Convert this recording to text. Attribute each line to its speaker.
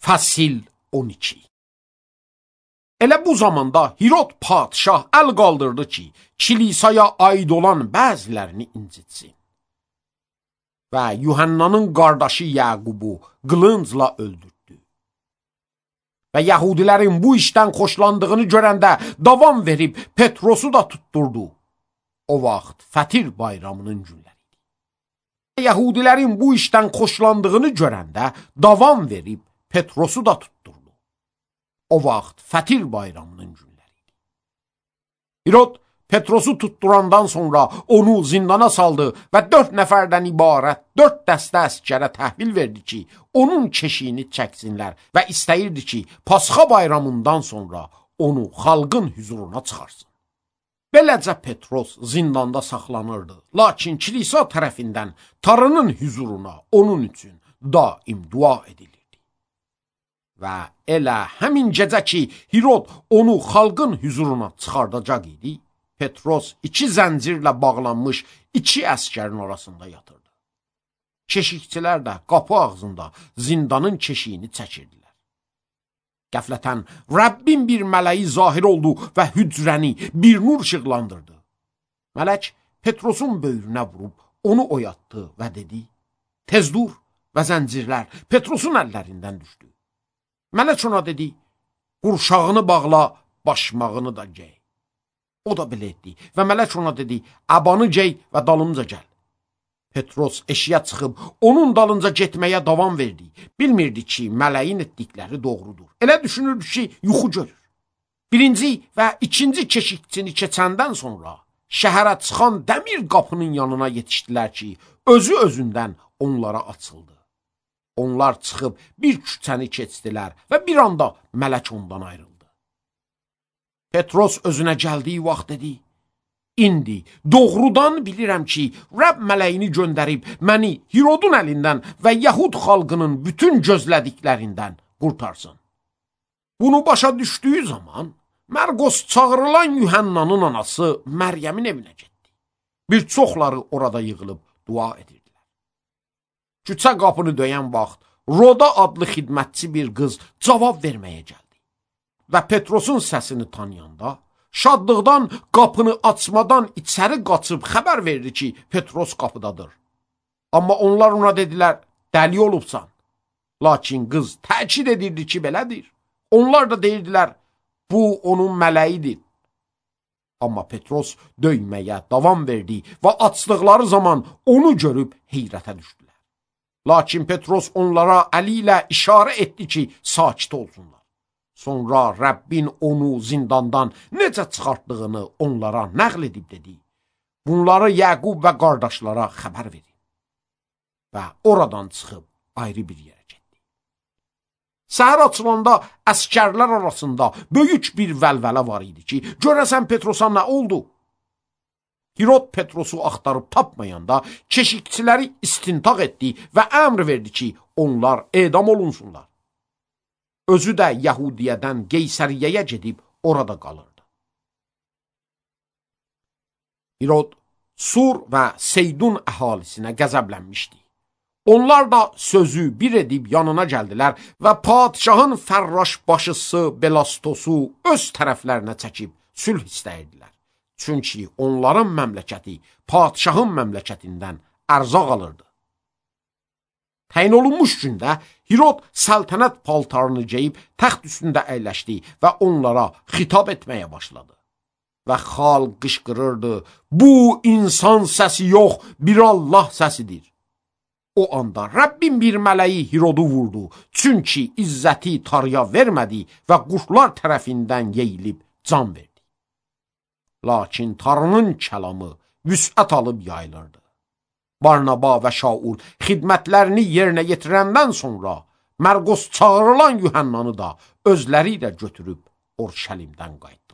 Speaker 1: Fəsil 12. Elə bu zamanda Hirod padişah əl qaldırdı ki, kilisaya aid olan bəzilərini incitsin. Və Yuhannanın qardaşı Yaqubu qılıncla öldürdü. Və Yahudilərin bu işdən xoşlandığını görəndə davam verib Petrosu da tutturdu. O vaxt Fətir bayramının günləri idi. Yahudilərin bu işdən xoşlandığını görəndə davam verib Petrosu da tutturdu. O vaxt Fətir bayramının günləri idi. Hirod Petrosu tutturandan sonra onu zindana saldı və 4 nəfərdən ibarət 4 dəstə əskərə təhvil verdi ki, onun keşiyini çəksinlər və istəyirdi ki, Pasxa bayramından sonra onu xalqın hüzuruna çıxarsın. Beləcə Petros zindanda saxlanırdı, lakin kilisa tərəfindən Tanrının hüzuruna onun üçün daim dua edilirdi. Və elə həmin gecə ki, Hirod onu xalqın hüzuruna çıxardacaq idi, Petros 2 zəncirlə bağlanmış 2 əskərin arasında yatırdı. Keşikçilər də qapı ağzında zindanın keşiyini çəkirdilər. Qəflətən Rəbbin bir mələyi zahir oldu və hücrəni bir nur işıqlandırdı. Mələk Petrosun böyrünə vurub onu oyatdı və dedi, tez dur, və zəncirlər Petrosun əllərindən düşdü. Mələk ona dedi, qurşağını bağla, başmağını da gey. O da belə etdi və mələk ona dedi, abanı gey və dalımca gəl. Petros eşiyə çıxıb onun dalınca getməyə davam verdi. Bilmirdi ki, mələyin etdikləri doğrudur. Elə düşünürdü ki, yuxu görür. 1-ci və 2-ci keşikçini keçəndən sonra şəhərə çıxan dəmir qapının yanına yetişdilər ki, özü-özündən onlara açıldı. Onlar çıxıb bir küçəni keçdilər və bir anda mələk ondan ayrıldı. Petros özünə gəldiyi vaxt dedi, İndi doğrudan bilirəm ki, Rəbb mələyini göndərib məni Hirodun əlindən və Yahud xalqının bütün gözlədiklərindən qurtarsın. Bunu başa düşdüyü zaman Mərqos çağırılan Yuhannanın anası Məryəmin evinə getdi. Bir çoxları orada yığılıb dua edirdilər. Küçə qapını döyən vaxt Roda adlı xidmətçi bir qız cavab verməyə gəldi. Və Petrosun səsini tanıyanda, şadlıqdan qapını açmadan içəri qaçıb xəbər verdi ki, Petros qapıdadır. Amma onlar ona dedilər, dəli olubsan. Lakin qız təkid edirdi ki, belədir. Onlar da deyirdilər, bu onun mələyidir. Amma Petros döyməyə davam verdi və açdıqları zaman onu görüb heyrətə düşdülər. Lakin Petros onlara əli ilə işarə etdi ki, sakit olsunlar. Sonra Rəbbin onu zindandan necə çıxartdığını onlara nəql edib dedi. Bunları Yaqub və qardaşlara xəbər verin. Və oradan çıxıb ayrı bir yerə getdi. Səhər açılanda əskərlər arasında böyük bir vəlvələ var idi ki, görəsən Petrosa nə oldu? Hirod Petrosu axtarıb tapmayanda keşikçiləri istintaq etdi və əmr verdi ki, onlar edam olunsunlar. Özü də Yahudiyədən Qeysəriyyəyə gedib orada qalırdı. Hirod Sur və Seydun əhalisinə qəzəblənmişdi. Onlar da sözü bir edib yanına gəldilər və padişahın fərraş başısı Belastosu öz tərəflərinə çəkib sülh istəyirdilər. Çünki onların məmləkəti padişahın məmləkətindən ərzaq alırdı. Təyin olunmuş gündə Hirod səltənət paltarını geyib təxt üstündə əyləşdi və onlara xitab etməyə başladı. Və xalq qışqırırdı, bu insan səsi yox, bir Allah səsidir. O anda Rəbbin bir mələyi Hirodu vurdu, çünki izzəti Tanrıya vermədi və quşlar tərəfindən yeyilib can verdi. Lakin Tanrının kəlamı vüsət alıb yayılırdı. Barnaba və Şaul xidmətlərini yerinə yetirəndən sonra Mərqos çağırılan Yuhannanı da özləri ilə götürüb Orşəlimdən qayıtdı.